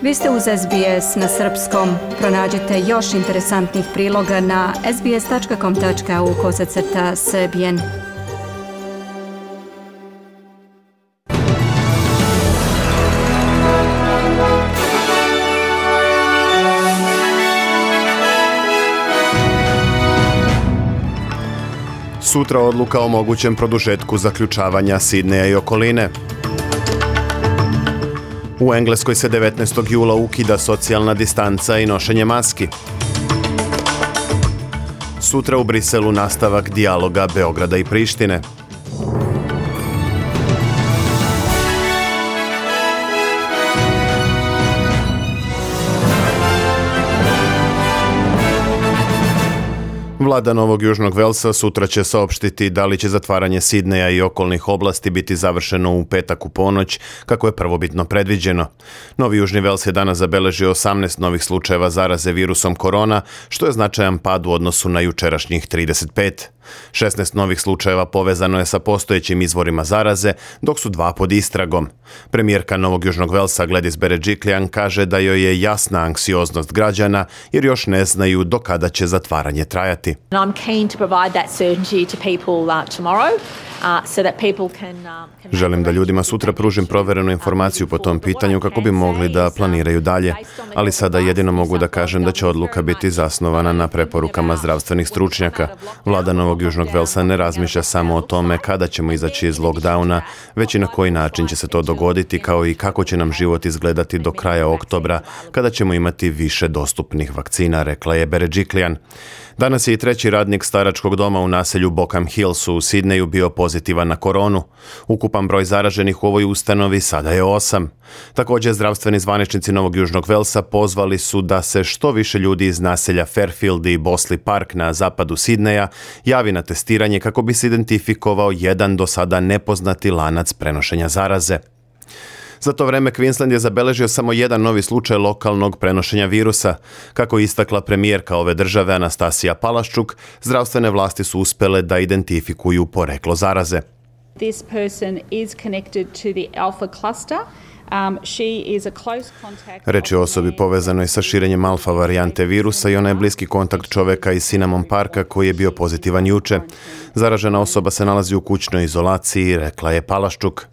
Vi ste uz SBS na srpskom. Pronađite još interesantnih priloga na sbs.com.au/srbijen. Sutra odluka o mogućem produžetku zaključavanja Sidneja i okoline. U Engleskoj se 19. jula ukida socijalna distanca i nošenje maski. Sutra u Briselu nastavak dijaloga Beograda i Prištine. Vlada Novog Južnog Velsa sutra će saopštiti da li će zatvaranje Sidneja i okolnih oblasti biti završeno u petak u ponoć, kako je prvobitno predviđeno. Novi Južni Vels je danas zabeležio 18 novih slučajeva zaraze virusom korona, što je značajan pad u odnosu na jučerašnjih 35. 16 novih slučajeva povezano je sa postojećim izvorima zaraze, dok su 2 pod istragom. Premijerka Novog Južnog Velsa Gladys Berejiklian kaže da joj je jasna anksioznost građana jer još ne znaju do kada će zatvaranje trajati. Želim da ljudima sutra pružim proverenu informaciju po tom pitanju kako bi mogli da planiraju dalje, ali sada jedino mogu da kažem da će odluka biti zasnovana na preporukama zdravstvenih stručnjaka. Vlada Novog Južnog Velsa ne razmišlja samo o tome kada ćemo izaći iz lockdowna, već i na koji način će se to dogoditi, kao i kako će nam život izgledati do kraja oktobra, kada ćemo imati više dostupnih vakcina, rekla je Berejiklian. Danas je i 3. radnik staračkog doma u naselju Bokham Hills u Sidneju bio pozitivan na koronu. Ukupan broj zaraženih u ovoj ustanovi sada je 8. Također, zdravstveni zvaničnici Novog Južnog Velsa pozvali su da se što više ljudi iz naselja Fairfield i Bosley Park na zapadu Sidneja javi na testiranje kako bi se identifikovao jedan do sada nepoznati lanac prenošenja zaraze. Za to vreme Queensland je zabeležio samo jedan novi slučaj lokalnog prenošenja virusa. Kako je istakla premijerka ove države Anastasija Palaszczuk, zdravstvene vlasti su uspjele da identifikuju poreklo zaraze. This person is connected to the alpha cluster. Reč je o osobi povezanoj sa širenjem alfa varijante virusa i ona je bliski kontakt čoveka iz Cinnamon Parka koji je bio pozitivan juče. Zaražena osoba se nalazi u kućnoj izolaciji, rekla je Palaszczuk.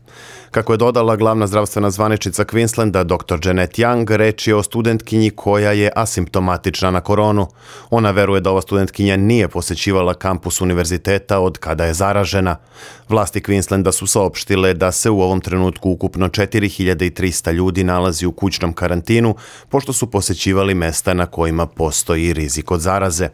Kako je dodala glavna zdravstvena zvaničnica Queenslanda, dr. Janet Young, reč je o studentkinji koja je asimptomatična na koronu. Ona veruje da ova studentkinja nije posjećivala kampus univerziteta od kada je zaražena. Vlasti Queenslanda su saopštile da se u ovom trenutku ukupno 4300 ljudi nalazi u kućnom karantinu, pošto su posjećivali mesta na kojima postoji rizik od zaraze.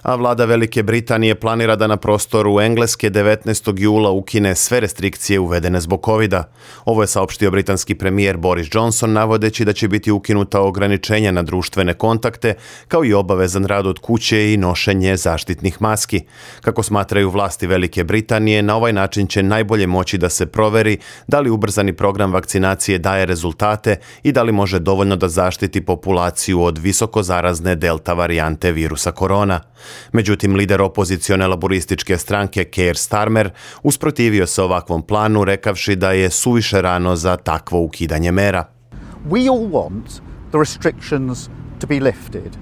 A vlada Velike Britanije planira da na prostoru Engleske 19. jula ukine sve restrikcije uvedene zbog covida. Ovo je saopštio britanski premijer Boris Johnson, navodeći da će biti ukinuta ograničenja na društvene kontakte, kao i obavezan rad od kuće i nošenje zaštitnih maski. Kako smatraju vlasti Velike Britanije, na ovaj način će najbolje moći da se proveri da li ubrzani program vakcinacije daje rezultate i da li može dovoljno da zaštiti populaciju od visoko zarazne delta varijante virusa korona. Međutim, lider opozicione laborističke stranke Keir Starmer usprotivio se ovakvom planu, rekavši da je suviše rano za takvo ukidanje mera. We all want the restrictions to be lifted.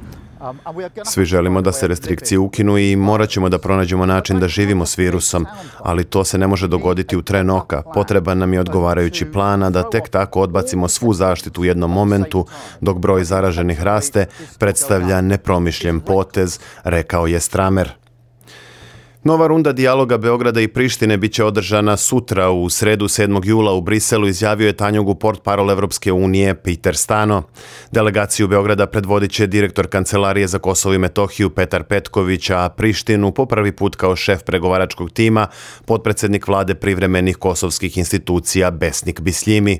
Svi želimo da se restrikcije ukinu i morat ćemo da pronađemo način da živimo s virusom, ali to se ne može dogoditi u tren oka. Potreban nam je odgovarajući plan, a da tek tako odbacimo svu zaštitu u jednom momentu dok broj zaraženih raste, predstavlja nepromišljen potez, rekao je Starmer. Nova runda dijaloga Beograda i Prištine biće održana sutra u sredu 7. jula u Briselu, izjavio je Tanjugu portparol Evropske unije Peter Stano. Delegaciju Beograda predvodit će direktor Kancelarije za Kosovo i Metohiju Petar Petković, a Prištinu po prvi put kao šef pregovaračkog tima potpredsjednik vlade privremenih kosovskih institucija Besnik Bisljimi.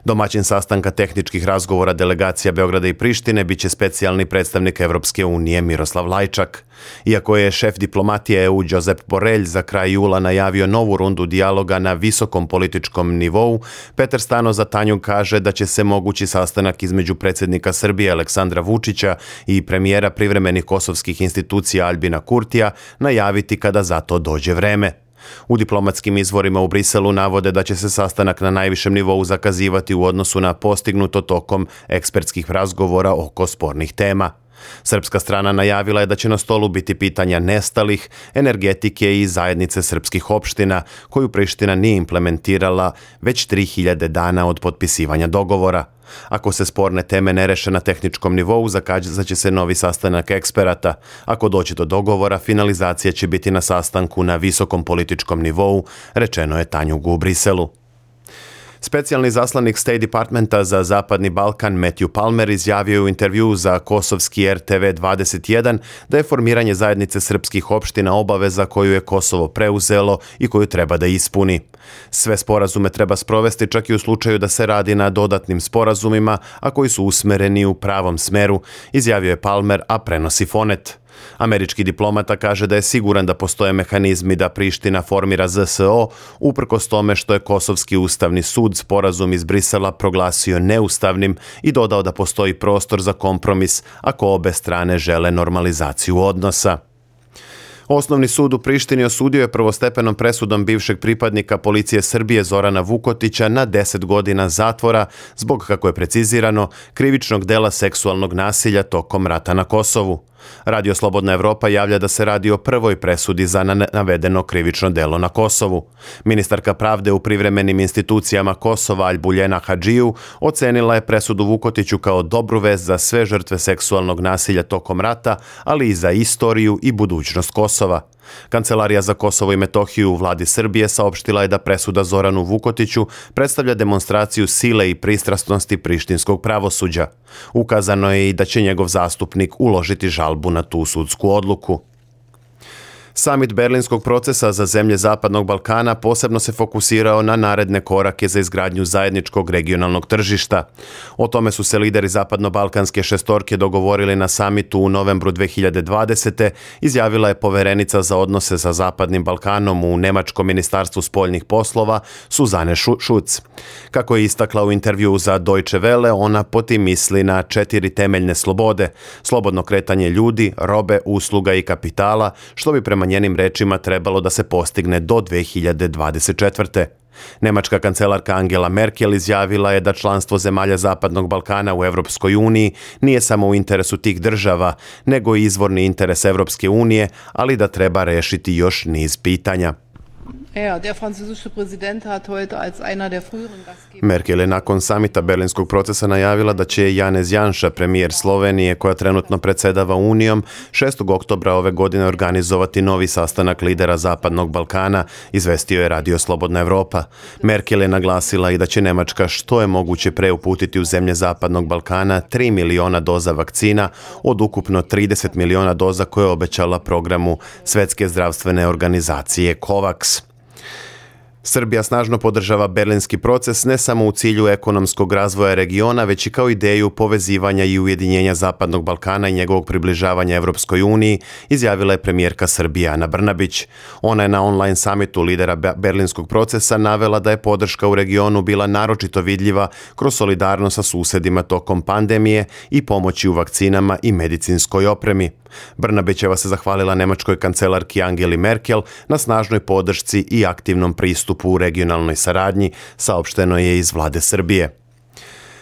Domaćin sastanka tehničkih razgovora delegacija Beograda i Prištine biće specijalni predstavnik Evropske unije Miroslav Lajčak. Iako je šef diplomatije EU Josep Borrell za kraj jula najavio novu rundu dijaloga na visokom političkom nivou, Petar Stano za Tanjug kaže da će se mogući sastanak između predsjednika Srbije Aleksandra Vučića i premijera privremenih kosovskih institucija Albina Kurtija najaviti kada za to dođe vreme. U diplomatskim izvorima u Briselu navode da će se sastanak na najvišem nivou zakazivati u odnosu na postignuto tokom ekspertskih razgovora oko spornih tema. Srpska strana najavila je da će na stolu biti pitanja nestalih, energetike i zajednice srpskih opština, koju Priština nije implementirala već 3000 dana od potpisivanja dogovora. Ako se sporne teme ne reše na tehničkom nivou, zakazaće se novi sastanak eksperata. Ako dođe do dogovora, finalizacija će biti na sastanku na visokom političkom nivou, rečeno je Tanjugu u Briselu. Specijalni zaslanik State Departmenta za Zapadni Balkan Matthew Palmer izjavio u intervju za kosovski RTV 21 da je formiranje zajednice srpskih opština obaveza koju je Kosovo preuzelo i koju treba da ispuni. Sve sporazume treba sprovesti čak i u slučaju da se radi na dodatnim sporazumima, a koji su usmereni u pravom smeru, izjavio je Palmer, a prenosi Fonet. Američki diplomata kaže da je siguran da postoje mehanizmi da Priština formira ZSO, uprkos tome što je Kosovski ustavni sud sporazum iz Brisela proglasio neustavnim i dodao da postoji prostor za kompromis ako obe strane žele normalizaciju odnosa. Osnovni sud u Prištini osudio je prvostepenom presudom bivšeg pripadnika policije Srbije Zorana Vukotića na 10 godina zatvora zbog, kako je precizirano, krivičnog dela seksualnog nasilja tokom rata na Kosovu. Radio Slobodna Evropa javlja da se radi o prvoj presudi za navedeno krivično delo na Kosovu. Ministarka pravde u privremenim institucijama Kosova Albuljena Hadžiju ocenila je presudu Vukotiću kao dobru vest za sve žrtve seksualnog nasilja tokom rata, ali i za istoriju i budućnost Kosova. Kancelarija za Kosovo i Metohiju u vladi Srbije saopštila je da presuda Zoranu Vukotiću predstavlja demonstraciju sile i pristrasnosti prištinskog pravosuđa. Ukazano je i da će njegov zastupnik uložiti žalbu na tu sudsku odluku. Samit Berlinskog procesa za zemlje Zapadnog Balkana posebno se fokusirao na naredne korake za izgradnju zajedničkog regionalnog tržišta. O tome su se lideri Zapadno-Balkanske šestorke dogovorili na samitu u novembru 2020. izjavila je poverenica za odnose sa Zapadnim Balkanom u Nemačkom ministarstvu spoljnih poslova Suzane Šuc. Kako je istakla u intervju za Deutsche Welle, ona po tim misli na 4 temeljne slobode: slobodno kretanje ljudi, robe, usluga i kapitala, što bi prema njenim rečima trebalo da se postigne do 2024. Nemačka kancelarka Angela Merkel izjavila je da članstvo zemalja Zapadnog Balkana u Evropskoj uniji nije samo u interesu tih država, nego i izvorni interes Evropske unije, ali da treba rešiti još niz pitanja. Merkel je nakon samita Berlinskog procesa najavila da će Janez Janša, premijer Slovenije koja trenutno predsjedava Unijom, 6. oktobra ove godine organizovati novi sastanak lidera Zapadnog Balkana, izvestio je Radio Slobodna Evropa. Merkel je naglasila i da će Nemačka što je moguće pre uputiti u zemlje Zapadnog Balkana 3 miliona doza vakcina od ukupno 30 miliona doza koje je obećala programu Svetske zdravstvene organizacije COVAX. Srbija snažno podržava berlinski proces ne samo u cilju ekonomskog razvoja regiona, već i kao ideju povezivanja i ujedinjenja Zapadnog Balkana i njegovog približavanja Evropskoj uniji, izjavila je premijerka Srbije Ana Brnabić. Ona je na online samitu lidera berlinskog procesa navela da je podrška u regionu bila naročito vidljiva kroz solidarnost sa susedima tokom pandemije i pomoći u vakcinama i medicinskoj opremi. Brnabićeva se zahvalila nemačkoj kancelarki Angeli Merkel na snažnoj podršci i aktivnom pristupu u regionalnoj saradnji, saopšteno je iz vlade Srbije.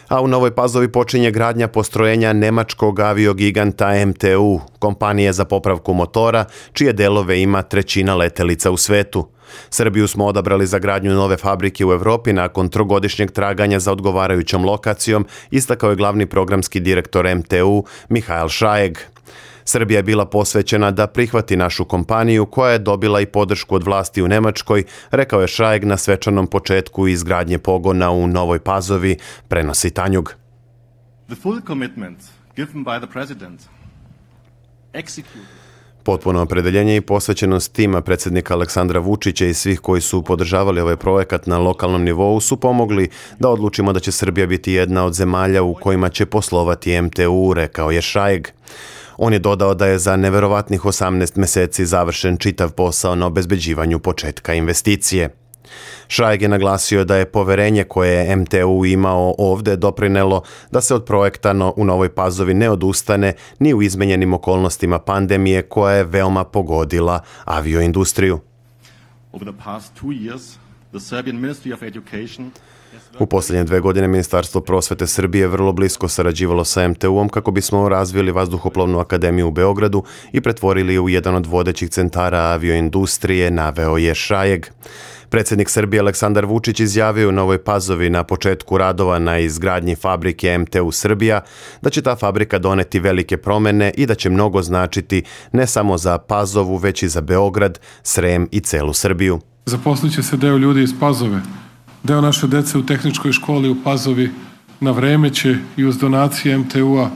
A u Novoj Pazovi počinje gradnja postrojenja nemačkog aviogiganta MTU, kompanije za popravku motora, čije delove ima 1/3 letelica u svetu. Srbiju smo odabrali za gradnju nove fabrike u Evropi nakon 3-godišnjeg traganja za odgovarajućom lokacijom, istakao je glavni programski direktor MTU Mihael Šajeg. Srbija je bila posvećena da prihvati našu kompaniju koja je dobila i podršku od vlasti u Nemačkoj, rekao je Šajeg na svečanom početku izgradnje pogona u Novoj Pazovi, prenosi Tanjug. Potpuno opredeljenje i posvećenost tima predsjednika Aleksandra Vučića i svih koji su podržavali ovaj projekat na lokalnom nivou su pomogli da odlučimo da će Srbija biti jedna od zemalja u kojima će poslovati MTU, rekao je Šajeg. On je dodao da je za neverovatnih 18 meseci završen čitav posao na obezbeđivanju početka investicije. Šajeg je naglasio da je poverenje koje je MTU imao ovde doprinelo da se od projekta u Novoj Pazovi ne odustane ni u izmenjenim okolnostima pandemije koja je veoma pogodila avioindustriju. Over the past 2 years, the Serbian Ministry of Education U posljednje 2 godine Ministarstvo prosvete Srbije vrlo blisko sarađivalo sa MTU-om kako bismo razvili Vazduhoplovnu akademiju u Beogradu i pretvorili je u jedan od vodećih centara avioindustrije, naveo je Šajeg. Predsjednik Srbije Aleksandar Vučić izjavio u Novoj Pazovi na početku radova na izgradnji fabrike MTU Srbija da će ta fabrika doneti velike promjene i da će mnogo značiti ne samo za Pazovu, već i za Beograd, Srem i celu Srbiju. Zaposlit će se deo ljudi iz Pazove. Deo naše dece u tehničkoj školi u Pazovi na vreme će i uz donacije MTU-a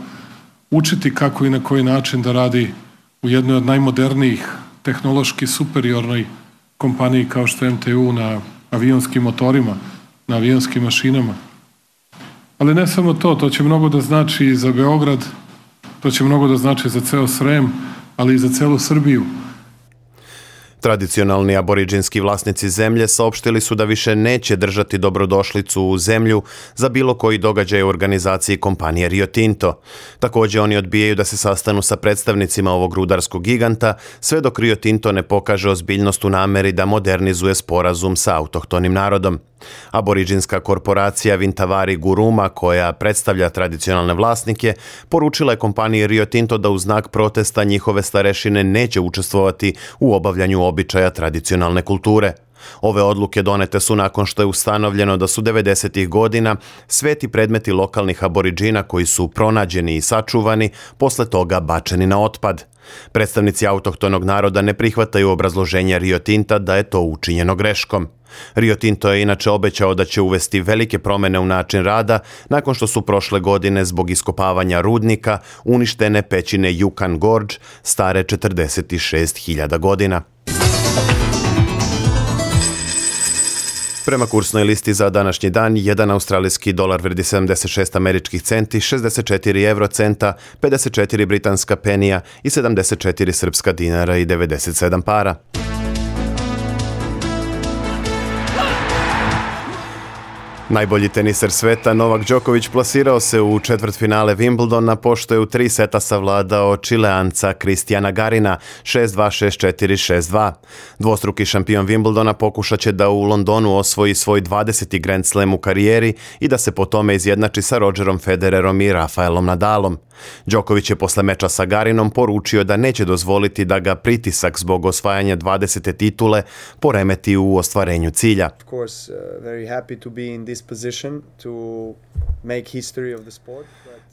učiti kako i na koji način da radi u jednoj od najmodernijih, tehnološki superiornoj kompaniji kao što je MTU na avionskim motorima, na avionskim mašinama. Ali ne samo to, to će mnogo da znači i za Beograd, to će mnogo da znači za ceo Srem, ali i za celu Srbiju. Tradicionalni aboriđinski vlasnici zemlje saopštili su da više neće držati dobrodošlicu u zemlju za bilo koji događaj u organizaciji kompanije Rio Tinto. Također oni odbijaju da se sastanu sa predstavnicima ovog rudarskog giganta sve dok Rio Tinto ne pokaže ozbiljnost u nameri da modernizuje sporazum sa autohtonim narodom. Aboriđinska korporacija Vintavari Guruma, koja predstavlja tradicionalne vlasnike, poručila je kompaniji Rio Tinto da u znak protesta njihove starešine neće učestvovati u obavljanju običaja tradicionalne kulture. Ove odluke donete su nakon što je ustanovljeno da su 90. godina sveti predmeti lokalnih aboriđina koji su pronađeni i sačuvani, posle toga bačeni na otpad. Predstavnici autohtonog naroda ne prihvataju obrazloženje Rio Tinta da je to učinjeno greškom. Rio Tinto je inače obećao da će uvesti velike promjene u način rada nakon što su prošle godine zbog iskopavanja rudnika uništene pećine Yukon Gorge stare 46.000 godina. Prema kursnoj listi za današnji dan, 1 australijski dolar vredi 76 američkih centi, 64 eurocenta, 54 britanska penija i 74 srpska dinara i 97 para. Najbolji teniser sveta Novak Đoković plasirao se u četvrtfinale Wimbledona pošto je u 3 seta savladao Čileanca Kristijana Garina 6-2, 6-4, 6-2. Dvostruki šampion Wimbledona pokušat će da u Londonu osvoji svoj 20. Grand Slam u karijeri i da se po tome izjednači sa Rogerom Federerom i Rafaelom Nadalom. Đoković je posle meča sa Garinom poručio da neće dozvoliti da ga pritisak zbog osvajanja 20. titule poremeti u ostvarenju cilja.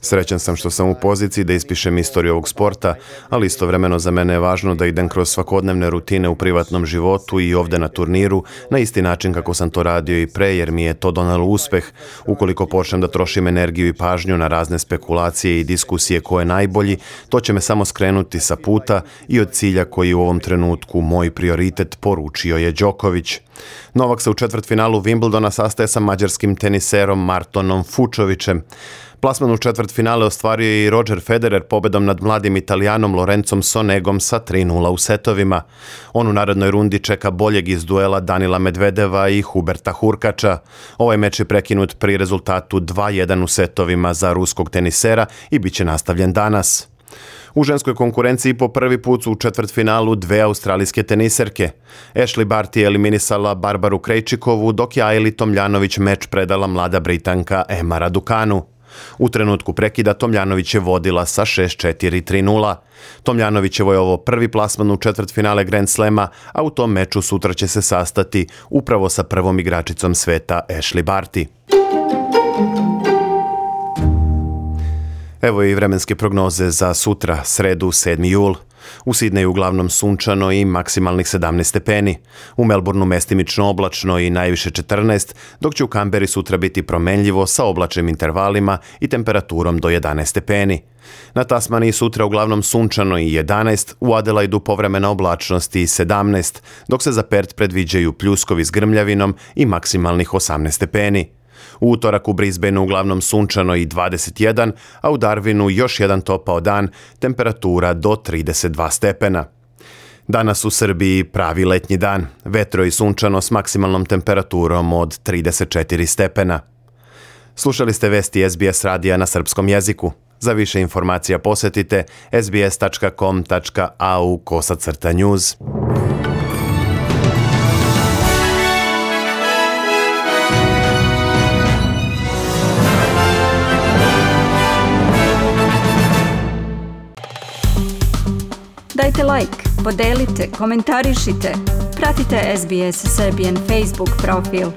Srećan sam što sam u poziciji da ispišem istoriju ovog sporta, ali istovremeno za mene je važno da idem kroz svakodnevne rutine u privatnom životu i ovde na turniru na isti način kako sam to radio i pre, jer mi je to donelo uspeh. Ukoliko počnem da trošim energiju i pažnju na razne spekulacije i diskusije ko je najbolji, to će me samo skrenuti sa puta i od cilja koji je u ovom trenutku moj prioritet, poručio je Đoković. Novak se u četvrtfinalu Wimbledona sastaje sa mađarskim teniserom Martonom Fučovićem. Plasman u četvrtfinale ostvario je i Roger Federer pobedom nad mladim Italijanom Lorenzom Sonegom sa 3-0 u setovima. On u narednoj rundi čeka boljeg iz duela Danila Medvedeva i Huberta Hurkača. Ovaj meč je prekinut pri rezultatu 2-1 u setovima za ruskog tenisera i bit će nastavljen danas. U ženskoj konkurenciji po prvi put su u četvrtfinalu 2 australijske teniserke. Ashley Barty je eliminisala Barbaru Krejčikovu, dok je Ajli Tomljanović meč predala mlada Britanka Emma Raducanu. U trenutku prekida Tomljanović je vodila sa 6-4, 3-0. Tomljanovićevo je ovo prvi plasman u četvrtfinale Grand Slema, a u tom meču sutra će se sastati upravo sa prvom igračicom sveta Ashley Barty. Evo i vremenske prognoze za sutra, sredu, 7. jul. U Sidneju uglavnom sunčano i maksimalnih 17 stepeni. U Melbourneu mestimično oblačno i najviše 14, dok će u Kamberi sutra biti promenljivo sa oblačnim intervalima i temperaturom do 11 stepeni. Na Tasmaniji sutra uglavnom sunčano i 11, u Adelaidu povremena oblačnost i 17, dok se za Perth predviđaju pljuskovi s grmljavinom i maksimalnih 18 stepeni. U utorak u Brisbaneu uglavnom sunčano i 21, a u Darwinu još jedan topao dan, temperatura do 32 stepena. Danas u Srbiji pravi letnji dan, vetro i sunčano s maksimalnom temperaturom od 34 stepena. Slušali ste vesti SBS radija na srpskom jeziku. Za više informacija posjetite sbs.com.au/news. Dajte like, podelite, komentarišite. Pratite SBS Serbian Facebook profil.